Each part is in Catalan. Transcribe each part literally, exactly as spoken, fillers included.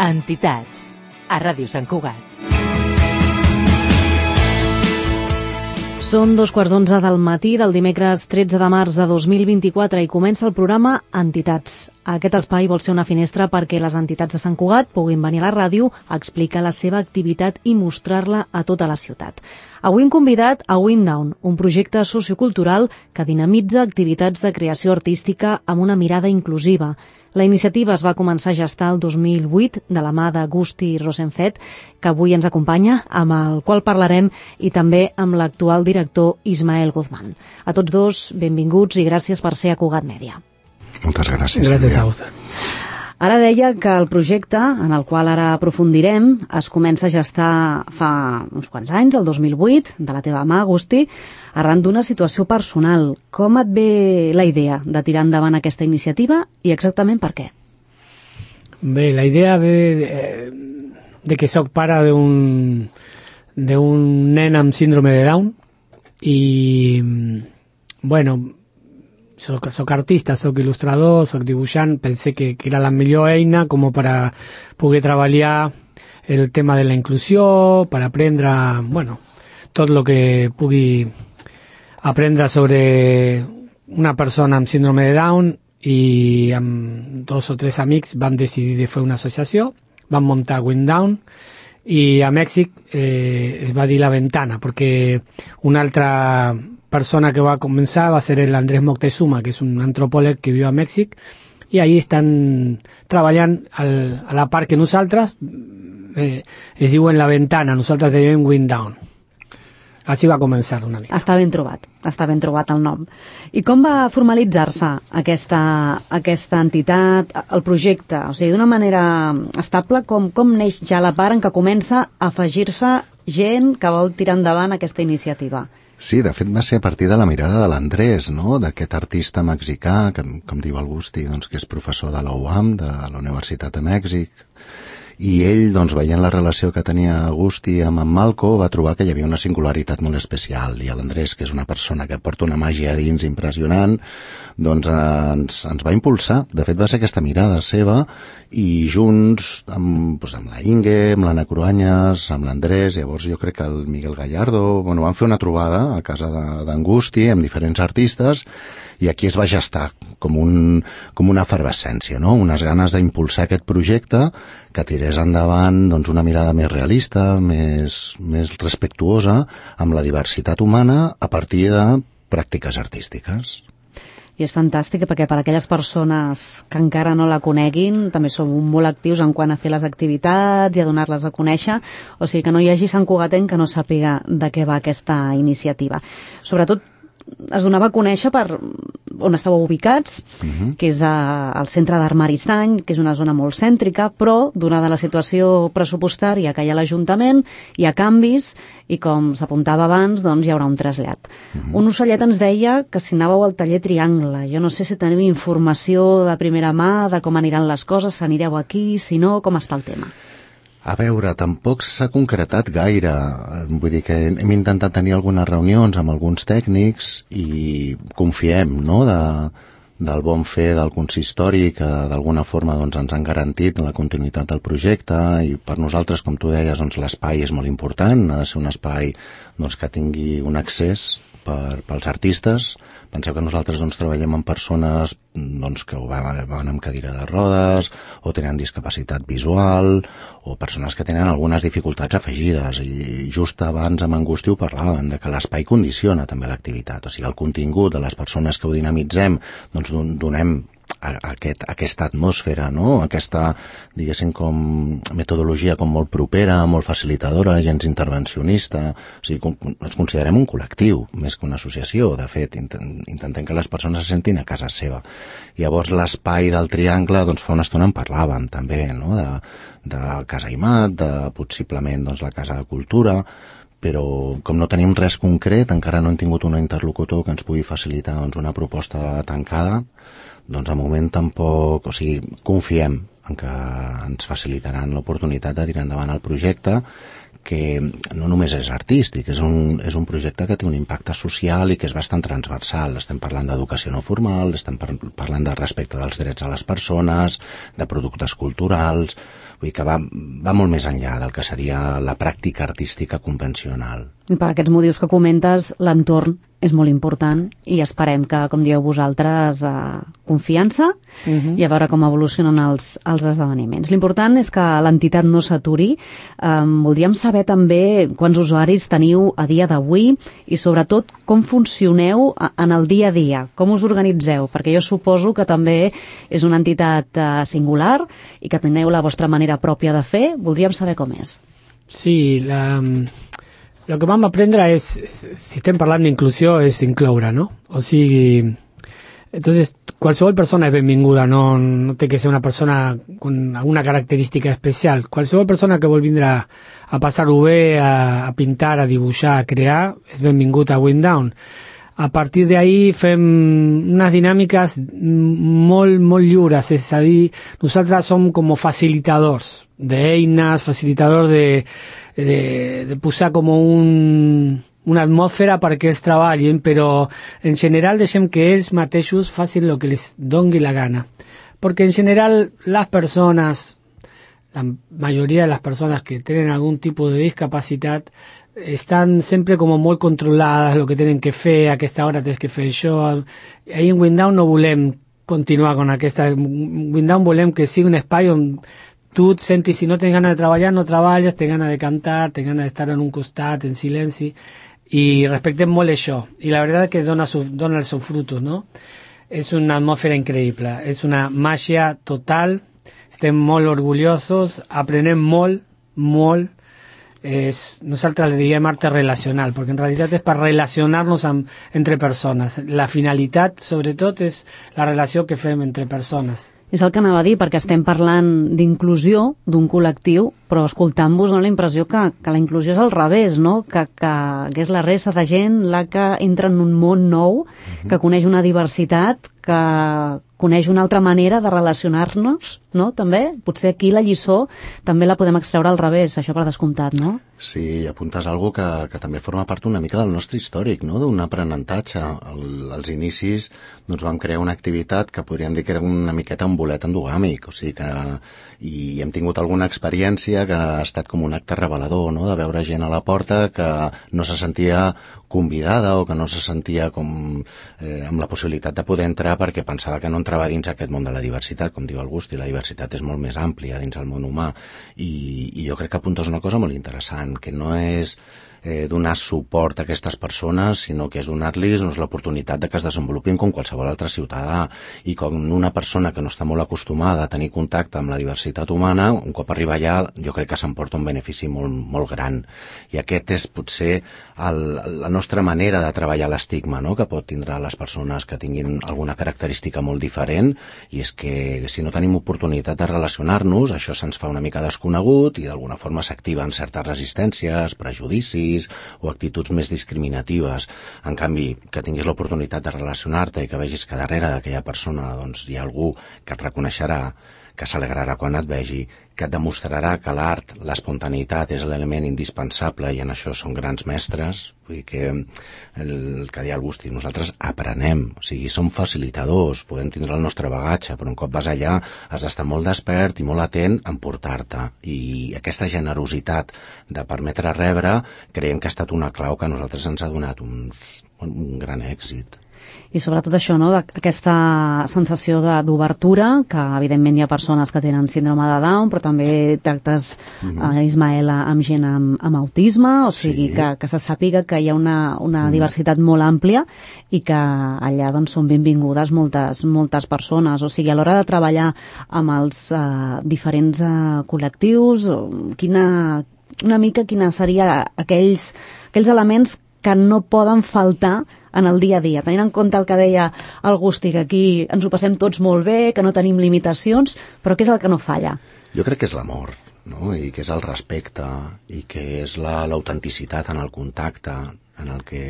Entitats, a Ràdio Sant Cugat. Són dos quarts d'onze del matí del dimecres tretze de març de dos mil vint-i-quatre i comença el programa Entitats. Aquest espai vol ser una finestra perquè les entitats de Sant Cugat puguin venir a la ràdio a explicar la seva activitat i mostrar-la a tota la ciutat. Avui hem convidat a Wind Down, un projecte sociocultural que dinamitza activitats de creació artística amb una mirada inclusiva. La iniciativa es va començar a gestar el dos mil vuit de la mà d'Agusti Rosenfeld, que avui ens acompanya, amb el qual parlarem, i també amb l'actual director Ismael Guzmán. A tots dos, benvinguts i gràcies per ser a Cugat Mèdia. Moltes gràcies. Gràcies a vosaltres. Ara deia que el projecte, en el qual ara aprofundirem, es comença a gestar fa uns quants anys, el dos mil vuit, de la teva mà, Agusti, arran d'una situació personal. Com et ve la idea de tirar endavant aquesta iniciativa i exactament per què? Bé, la idea ve de, de que soc pare d'un d'un nen amb síndrome de Down i, bueno, soc, soc artista, soc il·lustrador, soc dibuixant, pensé que, que era la millor eina com per a poder treballar el tema de la inclusió, per aprendre, bueno, tot el que pugui aprendre sobre una persona amb síndrome de Down, i amb dos o tres amics vam decidir de fer una associació, vam muntar Wind Down, i a Mèxic eh, es va dir La Ventana, perquè una altra persona que va començar va ser l'Andrés Moctezuma, que és un antropòleg que viu a Mèxic, i ahí estan treballant al, a la part que nosaltres eh, es diuen La Ventana, nosaltres diem Wind Down. Així va començar una mica. Està ben trobat, està ben trobat el nom. I com va formalitzar-se aquesta, aquesta entitat, el projecte? O sigui, d'una manera estable, com, com neix ja la part en què comença a afegir-se gent que vol tirar endavant aquesta iniciativa? Sí, de fet va ser a partir de la mirada de l'Andrés, no?, d'aquest artista mexicà, que, com diu Agusti, doncs, que és professor de la U A M, de la Universitat de Mèxic, i ell, doncs, veient la relació que tenia Agusti amb en Malco, va trobar que hi havia una singularitat molt especial, i l'Andrés, que és una persona que porta una màgia a dins impressionant, doncs ens, ens va impulsar. De fet, va ser aquesta mirada seva, i junts amb, doncs, amb la Inge, amb l'Anna Cruanyes, amb l'Andrés, llavors jo crec que el Miguel Gallardo, bueno, van fer una trobada a casa d'Angusti amb diferents artistes, i aquí es va gestar com, un, com una efervescència, no?, unes ganes d'impulsar aquest projecte que tirés endavant, doncs, una mirada més realista, més, més respectuosa amb la diversitat humana a partir de pràctiques artístiques. I és fantàstic perquè per a aquelles persones que encara no la coneguin també som molt actius en quant a fer les activitats i a donar-les a conèixer, o sigui que no hi hagi Sant Cugatenc que no sàpiga de què va aquesta iniciativa. Sobretot es donava a conèixer per on estàveu ubicats, uh-huh. que és a, al centre d'Armaristany, que és una zona molt cèntrica, però donada la situació pressupostària que hi ha a l'Ajuntament, hi ha canvis i com s'apuntava abans, doncs hi haurà un trasllat. Uh-huh. Un ocellet ens deia que si anàveu al taller Triangle. Jo no sé si teniu informació de primera mà de com aniran les coses, si anireu aquí, si no, com està el tema? A veure, tampoc s'ha concretat gaire. Vull dir que hem intentat tenir algunes reunions amb alguns tècnics i confiem, no?, de, del bon fer del consistori, que d'alguna forma, doncs, ens han garantit la continuïtat del projecte, i per nosaltres, com tu deies, doncs, l'espai és molt important, ha de ser un espai, doncs, que tingui un accés per, pels artistes. Penseu que nosaltres, doncs, treballem amb persones, doncs, que van amb cadira de rodes o tenen discapacitat visual o persones que tenen algunes dificultats afegides, i just abans amb Angusti ho parlàvem, de que l'espai condiciona també l'activitat, o sigui, el contingut de les persones que ho dinamitzem, doncs donem a aquest, aquesta atmosfera, no?, aquesta, diguéssim, com metodologia com molt propera, molt facilitadora, gens intervencionista, o sigui, com, ens considerem un col·lectiu més que una associació. De fet, intentem que les persones se sentin a casa seva. Llavors l'espai del Triangle, doncs fa una estona en parlàvem també, no?, de, de Casa Imat, de possiblement, doncs, la Casa de Cultura, però com no tenim res concret, encara no hem tingut un interlocutor que ens pugui facilitar, doncs, una proposta tancada, doncs a moment tampoc, o sigui, confiem en que ens facilitaran l'oportunitat de tirar endavant el projecte, que no només és artístic, és un, és un projecte que té un impacte social i que és bastant transversal. Estem parlant d'educació no formal, estem par parlant de respecte dels drets a les persones, de productes culturals, vull dir que va, va molt més enllà del que seria la pràctica artística convencional. I per aquests motius que comentes, l'entorn és molt important i esperem que, com dieu vosaltres, eh, confiança uh-huh. i a veure com evolucionen els, els esdeveniments. L'important és que l'entitat no s'aturi. Eh, voldríem saber també quants usuaris teniu a dia d'avui i sobretot com funcioneu en el dia a dia, com us organitzeu, perquè jo suposo que també és una entitat eh, singular i que teniu la vostra manera pròpia de fer. Voldríem saber com és. Sí, la... el que vam aprendre és, si estem parlant d'inclusió, és incloure, no? O sigui, entonces, qualsevol persona és benvinguda, no, no té que ser una persona con alguna característica especial. Qualsevol persona que vol vindre a, a passar-ho bé, a, a pintar, a dibuixar, a crear, és benvingut a Windown. A partir d'ahí fem unes dinàmiques molt, molt lliures, és a dir, nosaltres som com facilitadors d'eines, facilitadors de, de, de posar com un, una atmosfera perquè ells treballin, però en general deixem que ells mateixos facin el que les doni la gana. Perquè en general les persones, la majoria de les persones que tenen algun tipus de discapacitat, estan sempre com molt controlades, el que tenen que fer, a aquesta hora tens que fer això. Ahí en Windown no volem continuar con aquesta... Windown volem que sigui un espai on tu et sentis, si no tens ganes de treballar, no treballes, tens ganes de cantar, tens ganes d'estar en un costat, en silenci, i respectem molt això. I la veritat és que dona, su, dona els seus frutos, no? És una atmosfera increïble, és una màgia total, estem molt orgullosos, aprenem molt, molt. És, nosaltres le diem arte relacional, perquè en realitat és per relacionar-nos amb, entre persones. La finalitat, sobretot, és la relació que fem entre persones. És el que anava a dir, perquè estem parlant d'inclusió d'un col·lectiu, però escoltant-vos dona la impressió que, que la inclusió és al revés, no? Que, que, que és la resta de gent la que entra en un món nou, uh-huh. que coneix una diversitat, que coneix una altra manera de relacionar-nos, no? També, potser aquí la lliçó també la podem extreure al revés, això per descomptat, no? Sí, apuntes algo que, que també forma part una mica del nostre històric, no? D'un aprenentatge. El, als inicis doncs vam crear una activitat que podríem dir que era una miqueta un bolet endogàmic, o sigui que i hem tingut alguna experiència que ha estat com un acte revelador, no? De veure gent a la porta que no se sentia convidada o que no se sentia com eh, amb la possibilitat de poder entrar perquè pensava que no entrava dins aquest món de la diversitat, com diu August, i la diversitat és molt més àmplia dins el món humà. I, i jo crec que apuntes una cosa molt interessant, que no és eh, donar suport a aquestes persones, sinó que és donar-los doncs, l'oportunitat de que es desenvolupin com qualsevol altre ciutadà, i com una persona que no està molt acostumada a tenir contacte amb la diversitat humana, un cop arriba allà jo crec que s'emporta un benefici molt, molt gran. I aquest és potser el, la nostra manera de treballar l'estigma, no?, que pot tindre les persones que tinguin alguna característica molt diferent, i és que si no tenim oportunitat de relacionar-nos, això se'ns fa una mica desconegut i d'alguna forma s'activen certes resistències, prejudicis o actituds més discriminatives. En canvi, que tinguis l'oportunitat de relacionar-te i que vegis que darrere d'aquella persona doncs, hi ha algú que et reconeixerà, que s'alegrarà quan et vegi, que et demostrarà que l'art, l'espontaneïtat és l'element indispensable, i en això són grans mestres. Vull dir que el que deia el Busti, nosaltres aprenem, o sigui, som facilitadors, podem tindre el nostre bagatge, però un cop vas allà has d'estar molt despert i molt atent en portar-te, i aquesta generositat de permetre rebre creiem que ha estat una clau que a nosaltres ens ha donat un, un gran èxit. I sobretot això, no?, aquesta sensació d'obertura, que evidentment hi ha persones que tenen síndrome de Down, però també tractes, mm-hmm. eh, Ismael, amb gent amb, amb autisme, o sigui, sí. que, que se sàpiga que hi ha una, una mm. diversitat molt àmplia i que allà doncs, són benvingudes moltes, moltes persones. O sigui, a l'hora de treballar amb els eh, diferents eh, col·lectius, quina, una mica quina seria aquells, aquells elements que no poden faltar en el dia a dia, tenint en compte el que deia el Gusti, que aquí ens ho passem tots molt bé, que no tenim limitacions, però què és el que no falla? Jo crec que és l'amor, no? I que és el respecte, i que és l'autenticitat en el contacte, en el que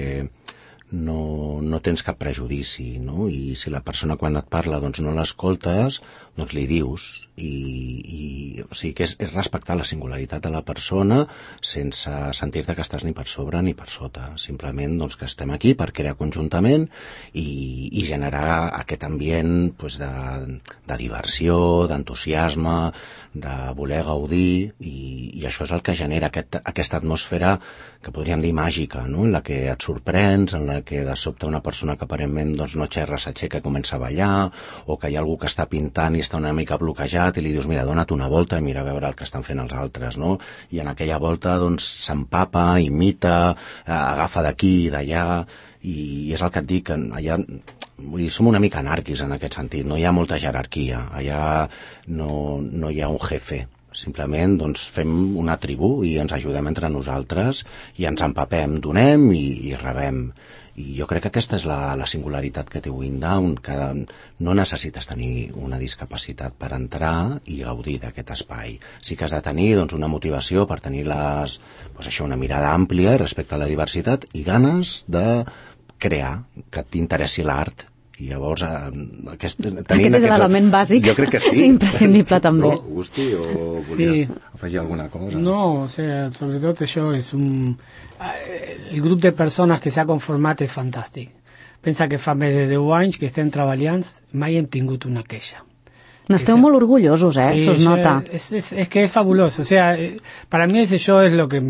no, no tens cap prejudici, no? I si la persona quan et parla doncs no l'escoltes, doncs li dius, i, i o sigui que és, és respectar la singularitat de la persona sense sentir-te que estàs ni per sobre ni per sota, simplement doncs, que estem aquí per crear conjuntament i, i generar aquest ambient doncs, de, de diversió, d'entusiasme, de voler gaudir, i, i això és el que genera aquest, aquesta atmosfera que podríem dir màgica, no? En la que et sorprens, en la que de sobte una persona que aparentment doncs, no xerra s'aixeca i comença a ballar, o que hi ha algú que està pintant i està una mica bloquejat i li dius, mira, dona't una volta i mira a veure el que estan fent els altres, no? I en aquella volta doncs s'empapa, imita, agafa d'aquí i d'allà, i és el que et dic, allà, vull dir, som una mica anàrquics en aquest sentit, no hi ha molta jerarquia, allà no, no hi ha un jefe, simplement doncs, fem una tribu i ens ajudem entre nosaltres i ens empapem, donem i, i rebem. I jo crec que aquesta és la, la singularitat que té Windown, que no necessites tenir una discapacitat per entrar i gaudir d'aquest espai. Sí que has de tenir doncs, una motivació per tenir les, doncs, això, una mirada àmplia respecte a la diversitat i ganes de crear, que t'interessi l'art. I llavors aquest, aquest és l'element bàsic, jo crec que sí. Imprescindible també. No, Agustí, o volies sí. afegir alguna cosa? No, o sea, sobretot això és un... El grup de persones que s'ha conformat és fantàstic. Pensa que fa més de deu anys que estem treballant, mai hem tingut una queixa. N'esteu molt orgullosos, eh? Sí, se us nota. Es, es, es que es fabuloso, o sea, para mí ese yo es lo que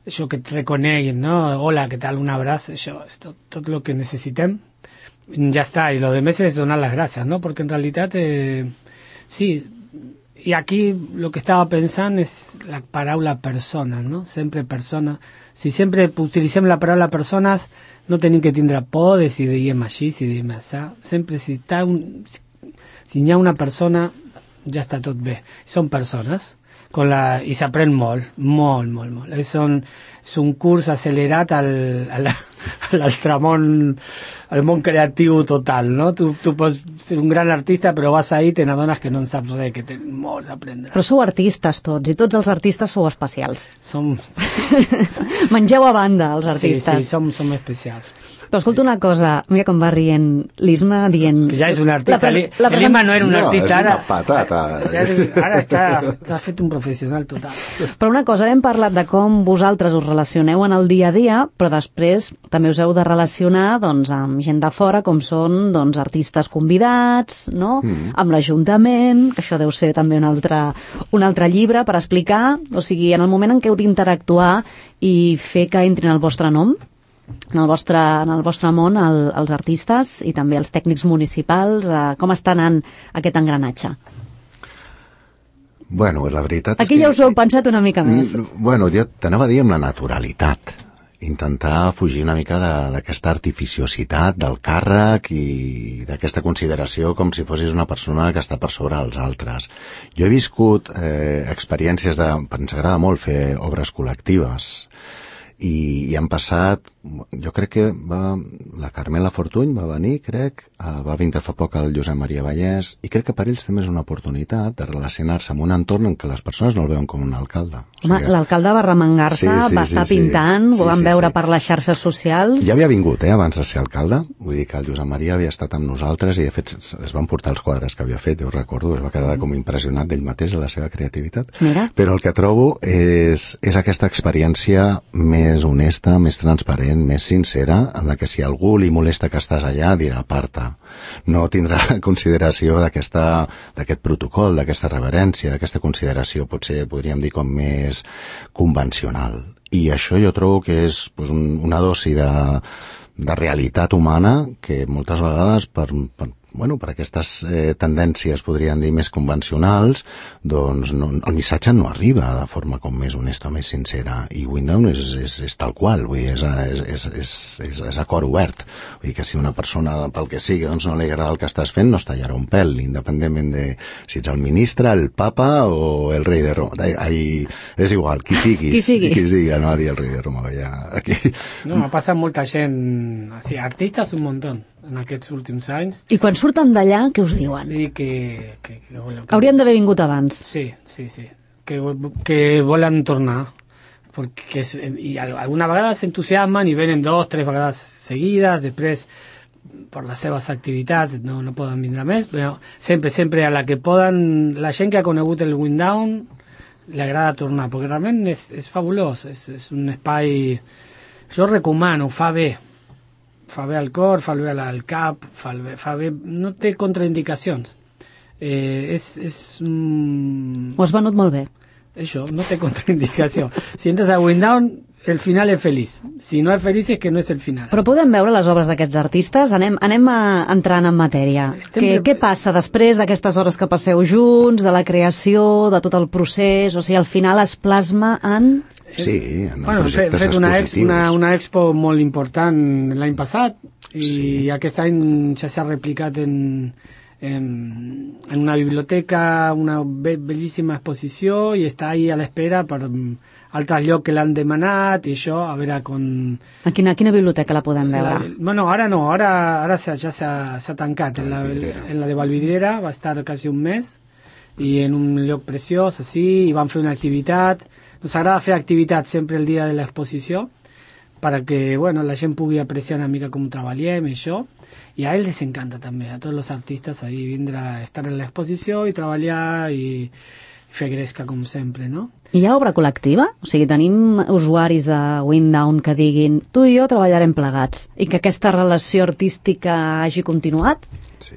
yo que te reconeguen, ¿no? Hola, ¿qué tal? Un abrazo, yo, es tot, tot lo que necessitem. Ya está, y lo de meses es donar las gracias, ¿no? Porque en realidad, eh, sí, y aquí lo que estaba pensando es la paraula persona, ¿no? Sempre persona. Si sempre utilitzem la paraula persones, no tenim que tindre por de si diem així, si diem així. Sempre si, està un, si hi ha una persona, ja està tot bé. Són persones. Con la, i s'aprèn molt, molt, molt, molt. És un, és un curs accelerat al, al, a l'altre món, al món creatiu total, no? Tu, tu pots ser un gran artista, però vas ahí i te n'adones que no en saps res, que tens molts a aprendre. Però sou artistes tots, i tots els artistes sou especials. Som... Mengeu a banda, els artistes. Sí, sí, som, som especials. Però escolta una cosa, mira com va rient l'Isma dient... Que ja és un artista. Pres... L'Isma no era un no, artista, ara... ara... patata. Ara està, està fet un professional total. Però una cosa, hem parlat de com vosaltres us relacioneu en el dia a dia, però després també us heu de relacionar doncs, amb gent de fora, com són doncs, artistes convidats, no? Mm. Amb l'Ajuntament, que això deu ser també un altre, un altre llibre per explicar, o sigui, en el moment en què heu d'interactuar i fer que entrin el vostre nom, en el vostre, en el vostre món, el, els artistes i també els tècnics municipals, eh, com està anant aquest engranatge? Bueno, la veritat Aquí és que... ja us ho heu pensat una mica més. Bueno, jo t'anava a dir amb la naturalitat. Intentar fugir una mica d'aquesta artificiositat del càrrec i d'aquesta consideració com si fossis una persona que està per sobre dels altres. Jo he viscut eh, experiències de... Ens agrada molt fer obres col·lectives i, i han passat... Jo crec que va, la Carmela Fortuny va venir, crec, va vindre fa poc el Josep Maria Vallès, i crec que per ells també és una oportunitat de relacionar-se amb un entorn en què les persones no el veuen com un alcalde. O Home, sigui, l'alcalde va remengar-se, sí, sí, va estar sí, pintant, sí, ho van sí, veure sí. per les xarxes socials... Ja havia vingut, eh, abans de ser alcalde, vull dir que el Josep Maria havia estat amb nosaltres i de fet es van portar els quadres que havia fet, jo recordo, es va quedar com impressionat d'ell mateix de la seva creativitat. Mira. Però el que trobo és, és aquesta experiència més honesta, més transparent, més sincera, en la que si algú li molesta que estàs allà, dirà aparta. No tindrà consideració d'aquest protocol, d'aquesta reverència, d'aquesta consideració, potser podríem dir com més convencional. I això jo trobo que és pues, un, una dosi de, de realitat humana que moltes vegades per, per bueno, per aquestes eh, tendències, podríem dir, més convencionals, doncs no, el missatge no arriba de forma com més honesta, més sincera. I Windown és, és, és tal qual, vull dir, és, és, és, és, és a cor obert. Vull dir que si una persona, pel que sigui, doncs no li agrada el que estàs fent, no es tallarà un pèl, independentment de si ets el ministre, el papa o el rei de Roma. Ai, és igual, qui siguis. Qui sigui. Qui sigui, no, dir el rei de Roma. Ja, aquí. No, m'ha passat molta gent, así, artistes un muntó en aquests últims anys. I quan surten d'allà, què us diuen? I que, que, que, bueno, que... Haurien d'haver vingut abans. Sí, sí, sí. Que, que volen tornar. Perquè, i alguna vegada s'entusiasmen i venen dos, tres vegades seguides, després per les seves activitats no, no poden vindre més, però sempre, sempre a la que poden, la gent que ha conegut el Winddown li agrada tornar, perquè realment és, és fabulós, és, és un espai, jo recomano, fa bé, fa bé al cor, fa bé al cap, fa bé, fa bé, no té contraindicacions. Eh, és, és mm, Ho has venut molt bé. Això, no té contraindicació. Si entres a Winddown, el final és feliç. Si no és feliç és que no és el final. Però podem veure les obres d'aquests artistes? Anem, anem a, entrant en matèria. Estem Què, de- què passa després d'aquestes hores que passeu junts, de la creació, de tot el procés? O sigui, al final es plasma en... Sí, en Bueno, hem fet, projectes fet una, ex, expositius. una, una expo molt important l'any passat i Sí. aquest any ja s'ha replicat en, en, en una biblioteca, una be bellíssima exposició i està ahí a l'espera per mm, altres llocs que l'han demanat i això, a veure com... A quina, a quina biblioteca la podem La, veure? bueno, ara no, ara, ara ja s'ha s'ha tancat. En la, Vallvidrera. en la de Vallvidrera va estar quasi un mes i en un lloc preciós, així, i van fer una activitat. Nos agrada fer activitat sempre el dia de l'exposició perquè bueno, la gent pugui apreciar una mica com treballem i això. I a ells les encanta també, a tots els artistes ahí vindre a estar en l'exposició i treballar i fer gresca com sempre, no? Hi ha obra col·lectiva? O sigui, tenim usuaris de Winddown que diguin tu i jo treballarem plegats i que aquesta relació artística hagi continuat? Sí,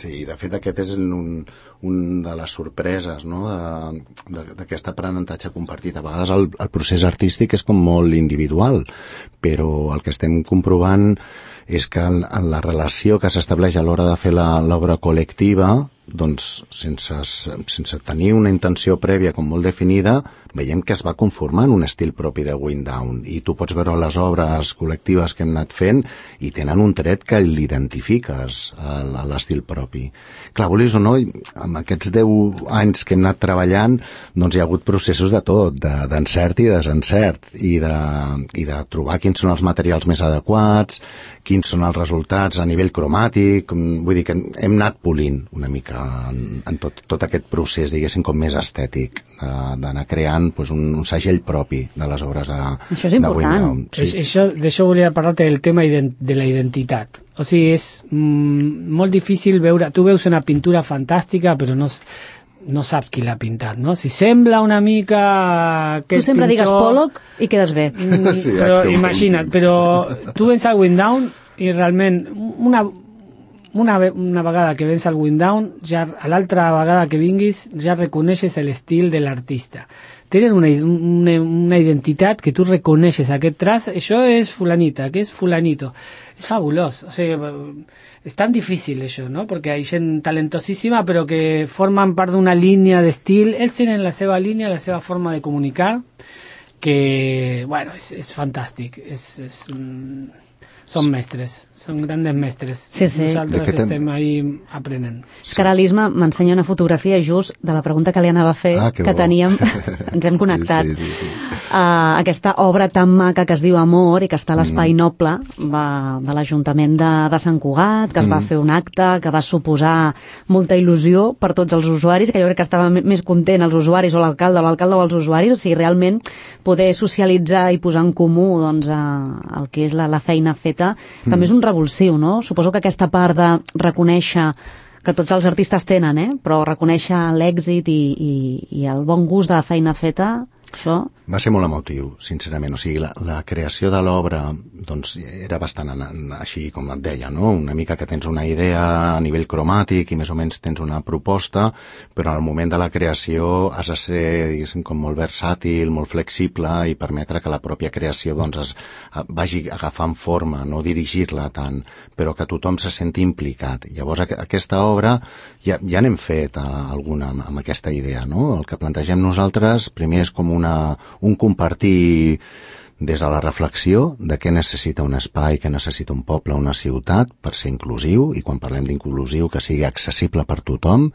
sí, de fet aquest és un, un de les sorpreses, no?, de- de- d'aquest aprenentatge compartit. A vegades el, el procés artístic és com molt individual, però el que estem comprovant és que en, en la relació que s'estableix a l'hora de fer la- l'obra col·lectiva, doncs sense, sense tenir una intenció prèvia com molt definida, veiem que es va conformant un estil propi de Winddown, i tu pots veure les obres col·lectives que hem anat fent i tenen un tret que l'identifiques a, a l'estil propi. Clar, vulguis o no, amb aquests deu anys que hem anat treballant, doncs hi ha hagut processos de tot, de- d'encert i desencert, i de, i de trobar quins són els materials més adequats, quins són els resultats a nivell cromàtic. Vull dir que hem anat polint una mica en, en tot, tot aquest procés, diguéssim, com més estètic, de- d'anar creant doncs, un, un segell propi de les obres de, Això és de important. Winddown. Sí. Això, d'això volia parlar-te del tema ident de la identitat. O sigui, és mm, molt difícil veure... Tu veus una pintura fantàstica, però no, s- no saps qui l'ha pintat, no? Si sembla una mica... Tu sempre pintor, digues Pollock i quedes bé. Mm, Sí, però acte imagina't, autèntic. però tu vens al Winddown i realment una, una, ve- una vegada que vens al Winddown, ja a l'altra vegada que vinguis ja reconeixes l'estil de l'artista. Tenen una, una, una identitat que tu reconeixes aquest traç, això és fulanita, que és fulanito. És fabulós, o sigui, és tan difícil això, no? Perquè hi ha gent talentosíssima però que formen part d'una línia d'estil, ells tenen la seva línia, la seva forma de comunicar, que, bueno, és, és fantàstic, és, és, mm, són mestres, són grandes mestres. Sí, sí. Nosaltres De fet, estem ahí aprenent. És que ara l'Isma m'ensenya una fotografia just de la pregunta que li anava a fer, Ah, que que bo. teníem, ens hem connectat. Sí, sí, sí, sí. Uh, aquesta obra tan maca que es diu Amor i que està a l'Espai Noble de, de l'Ajuntament de, de Sant Cugat, que es va fer un acte que va suposar molta il·lusió per tots els usuaris, que jo crec que estava me- més content els usuaris o l'alcalde o l'alcalde o els usuaris, o sigui, realment poder socialitzar i posar en comú doncs, uh, el que és la, la feina feta també és un revulsiu, no? Suposo que aquesta part de reconèixer que tots els artistes tenen, eh? Però reconèixer l'èxit i, i, i el bon gust de la feina feta, això... Va ser molt emotiu, sincerament. O sigui, la, la creació de l'obra doncs, era bastant en, en, així com et deia, no? Una mica que tens una idea a nivell cromàtic i més o menys tens una proposta, però al moment de la creació has de ser, diguéssim, com molt versàtil, molt flexible i permetre que la pròpia creació doncs, es, vagi agafant forma, no dirigir-la tant, però que tothom se senti implicat. Llavors, aqu aquesta obra ja, ja n'hem fet a, alguna amb, amb aquesta idea, no? El que plantegem nosaltres primer és com una un compartir des de la reflexió de què necessita un espai, què necessita un poble, una ciutat per ser inclusiu, i quan parlem d'inclusiu que sigui accessible per tothom,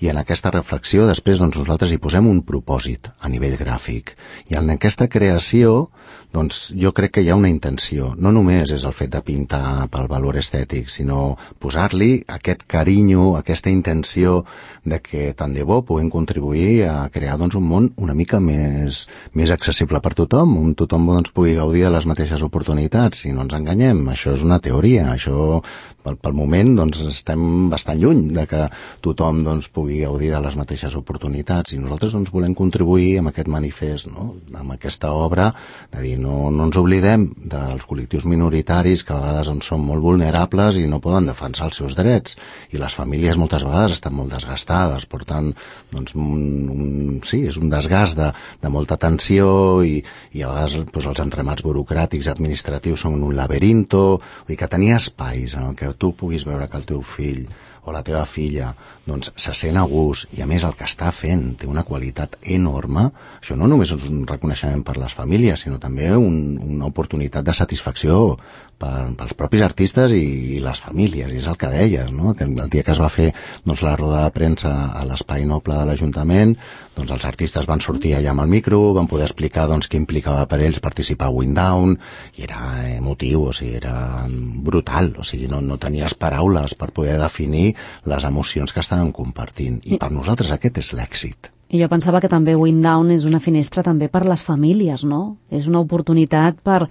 i en aquesta reflexió després doncs, nosaltres hi posem un propòsit a nivell gràfic. I en aquesta creació doncs, jo crec que hi ha una intenció. No només és el fet de pintar pel valor estètic, sinó posar-li aquest carinyo, aquesta intenció de que tant de bo puguem contribuir a crear doncs, un món una mica més, més accessible per tothom, on tothom doncs, pugui gaudir de les mateixes oportunitats. Si no ens enganyem, això és una teoria, això pel, pel moment doncs, estem bastant lluny de que tothom doncs, pugui gaudir de les mateixes oportunitats, i nosaltres doncs, volem contribuir amb aquest manifest, no? Amb aquesta obra, de dir, no, no ens oblidem dels col·lectius minoritaris que a vegades doncs, són molt vulnerables i no poden defensar els seus drets, i les famílies moltes vegades estan molt desgastades, per tant, doncs, un, un, sí, és un desgast de, de molta tensió, i, i a vegades doncs, els entremats burocràtics administratius són un laberinto, vull dir que tenir espais en el que tu puguis veure que el teu fill o la teva filla doncs, se sent a gust, i a més el que està fent té una qualitat enorme, això no només és un reconeixement per les famílies, sinó també un, una oportunitat de satisfacció per, pels propis artistes i, i les famílies, i és el que deies, no? Que el dia que es va fer doncs, la roda de premsa a l'Espai Noble de l'Ajuntament, doncs els artistes van sortir allà amb el micro, van poder explicar doncs, què implicava per ells participar a Windown, i era emotiu, o sigui, era brutal, o sigui, no, no tenies paraules per poder definir les emocions que estaven compartint, i per nosaltres aquest és l'èxit. I jo pensava que també Windown és una finestra també per les famílies, no? És una oportunitat per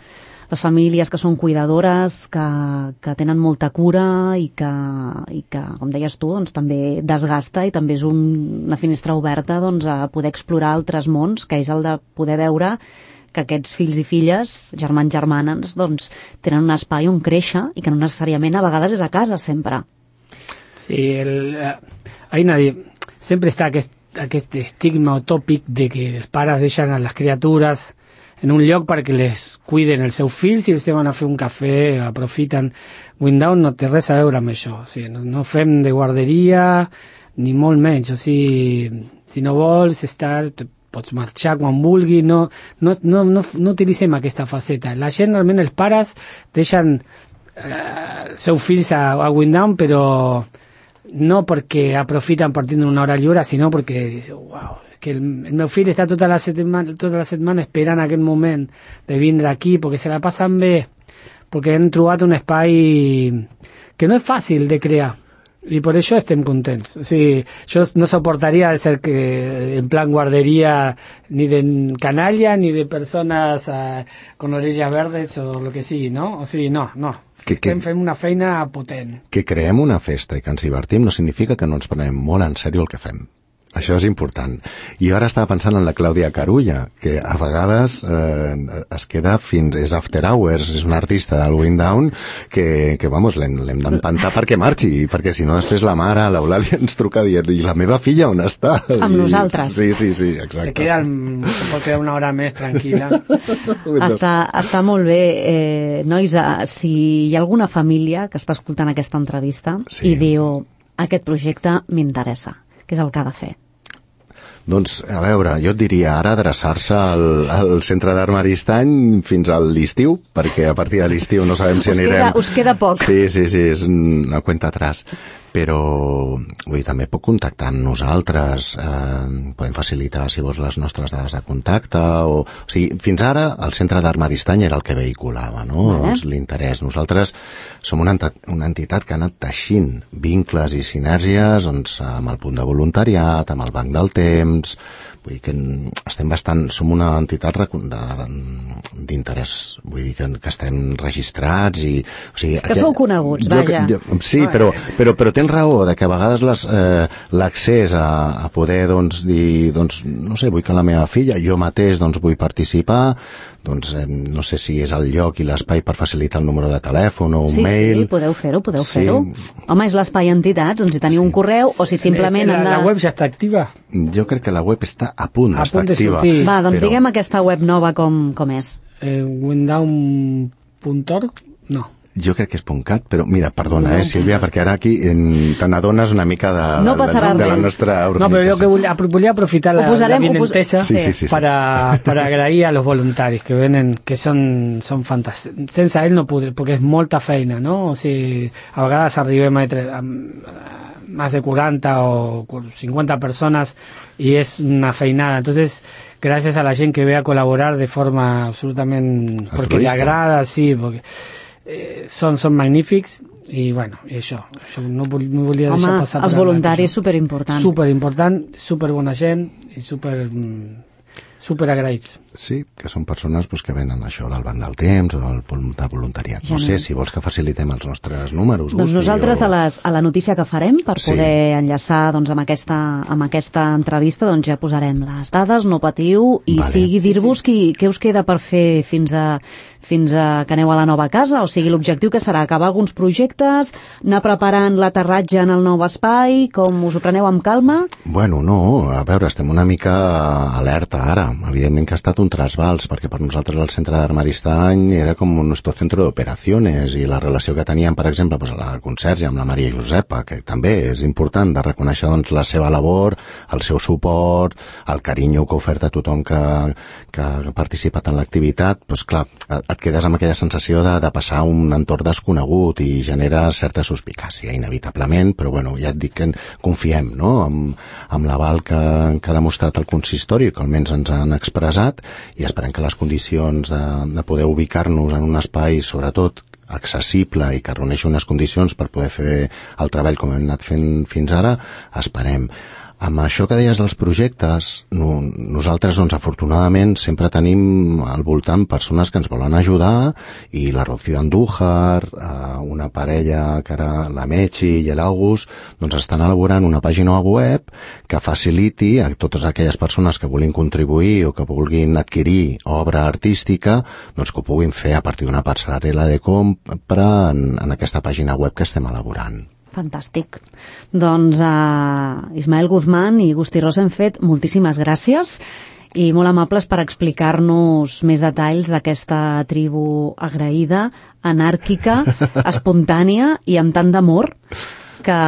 les famílies que són cuidadores, que, que tenen molta cura i que, i que, com deies tu, doncs, també desgasta, i també és un, una finestra oberta doncs, a poder explorar altres mons, que és el de poder veure que aquests fills i filles, germans, germanes, doncs, tenen un espai on créixer i que no necessàriament a vegades és a casa, sempre. Sí, el, hay nadie, siempre está aquest, aquest estigma o tòpic de que els pares deixen a les criatures en un lloc perquè les cuiden els seus fills, i els van a fer un cafè, aprofiten. Windown no té res a veure amb això, o sigui, no, no fem de guarderia ni molt menys, o sigui, si no vols estar, pots marxar quan vulguis, no, no, no, no, no utilitzem aquesta faceta. La gent, realment, els pares deixen eh, seus fills a, a Windown, però no perquè aprofiten partint d'una hora lliure, sinó perquè diuen, uau, que el, el meu fill està tota la setmana, tota la setmana esperant aquest moment de vindre aquí, perquè se la passen bé, perquè han trobat un espai que no és fàcil de crear, i per això estem contents. O sigui, jo no soportaria de ser que en plan guardería ni de canalla ni de persones uh, con orejas verdes o lo que sigui, no? O sigui, no, no. Que, que, estem fent una feina potent. Que creem una festa i que ens divertim no significa que no ens prenem molt en sèrio el que fem. Això és important. I ara estava pensant en la Clàudia Carulla, que a vegades eh, es queda fins... és after hours, és un artista del Windown que, que vamos, l'hem d'empantar perquè marxi, perquè si no després la mare, l'Eulàlia, ens truca dient, i la meva filla on està? Amb I, nosaltres. Sí, sí, sí, exacte. Se queda, se pot quedar una hora més tranquil·la. està, està molt bé. Eh, nois, si hi ha alguna família que està escoltant aquesta entrevista sí. i diu, aquest projecte m'interessa, què és el que ha de fer? Doncs, a veure, jo et diria ara adreçar-se al, al Centre d'Art Maristany fins a l'estiu, perquè a partir de l'estiu no sabem si us anirem... Queda, us queda poc. Sí, sí, sí, és una cuenta atrás. Però, vull dir, també puc contactar amb nosaltres, eh, podem facilitar, si vols, les nostres dades de contacte, o... O sigui, fins ara el Centre d'Art Maristany era el que vehiculava, no?, eh? doncs, l'interès. Nosaltres som una, una entitat que ha anat teixint vincles i sinergies doncs, amb el punt de voluntariat, amb el Banc del Temps, vull dir que estem bastant, som una entitat d'interès, vull dir que, que estem registrats i... O sigui, que sou coneguts, jo, vaja. Jo, sí, però, però, però tens raó de que a vegades l'accés eh, a, a poder doncs, dir, doncs, no sé, vull que la meva filla, jo mateix doncs, vull participar, doncs eh, no sé si és el lloc i l'espai per facilitar el número de telèfon o un sí, mail. Sí, podeu fer-ho, podeu sí. fer-ho. Home, és l'espai entitats, doncs si teniu sí. un correu o si simplement... La, han de... la web ja està activa? Jo crec que la web està a punt d'estar activa. Va, doncs però... diguem aquesta web nova com, com és. Eh, windown punt org? No. Jo crec que és .cat, però mira, perdona, no. eh, Sílvia, perquè ara aquí te n'adones una mica de, no de, de, de la nostra organització. No, però jo que volia, volia aprofitar la, posarem, la vinentesa sí, sí, sí, sí. para, para agrair a los voluntarios que venen, que són, són fantàstics. Sense ell no podré, perquè és molta feina, no? O sigui, a vegades arribem a, a, a más de cuarenta o cincuenta personas y es una feinada. Entonces, gracias a la gent que ve a colaborar de forma absolutamente porque le agrada, sí, porque eh, son, son magnífics i bueno, i això, això no, no volia Home, deixar passar els voluntaris superimportant. Superimportant, superbona gent i super super agraïts. Sí, que són persones pues, que venen això del banc del temps o del de voluntariat. No sé, si vols que facilitem els nostres números. Doncs Gusti, nosaltres o... a, les, a la notícia que farem per Sí. poder enllaçar doncs, amb, aquesta, amb aquesta entrevista doncs, ja posarem les dades, no patiu, i Vale. sigui dir-vos sí, sí. Qui, què us queda per fer fins a, fins a que aneu a la nova casa, o sigui, l'objectiu que serà acabar alguns projectes, anar preparant l'aterratge en el nou espai, com us ho preneu amb calma? Bueno, no, a veure, estem una mica alerta ara. Evidentment que ha estat un trasbals, perquè per nosaltres el centre d'Armaristany era com un nostre centre d'operacions i la relació que teníem, per exemple, pues, a la conserge amb la Maria Josepa, que també és important de reconèixer doncs, la seva labor, el seu suport, el carinyo que ha ofert a tothom que, que ha participat en l'activitat, doncs clar, et quedes amb aquella sensació de, de passar un entorn desconegut i genera certa suspicàcia, inevitablement, però bueno, ja et dic que confiem, no?, amb, amb l'aval que, que ha demostrat el consistori, que almenys ens han expressat, i esperem que les condicions de, de poder ubicar-nos en un espai, sobretot, accessible i que reuneixi unes condicions per poder fer el treball com hem anat fent fins ara, esperem. Amb això que deies dels projectes, no, nosaltres, doncs, afortunadament, sempre tenim al voltant persones que ens volen ajudar, i la Rocío Andújar, eh, una parella que era la Mechi i l'August, doncs estan elaborant una pàgina web que faciliti a totes aquelles persones que vulguin contribuir o que vulguin adquirir obra artística, doncs que ho puguin fer a partir d'una passarel·la de compra en, en aquesta pàgina web que estem elaborant. Fantàstic. Doncs uh, Ismael Guzmán i Gusti Rosenfeld, moltíssimes gràcies i molt amables per explicar-nos més detalls d'aquesta tribu agraïda, anàrquica, espontània i amb tant d'amor que,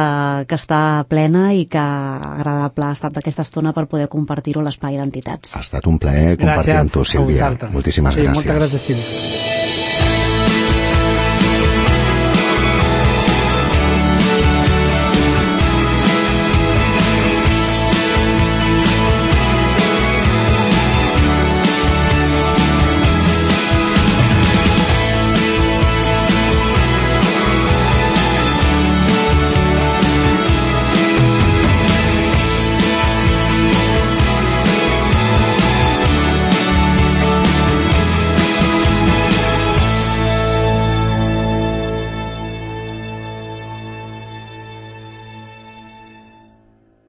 que està plena i que agradable ha estat aquesta estona per poder compartir-ho a l'Espai d'Entitats. Ha estat un plaer compartir amb tu, Sílvia. Gràcies a vosaltres. Moltíssimes sí, gràcies. Moltes gràcies, Sílvia.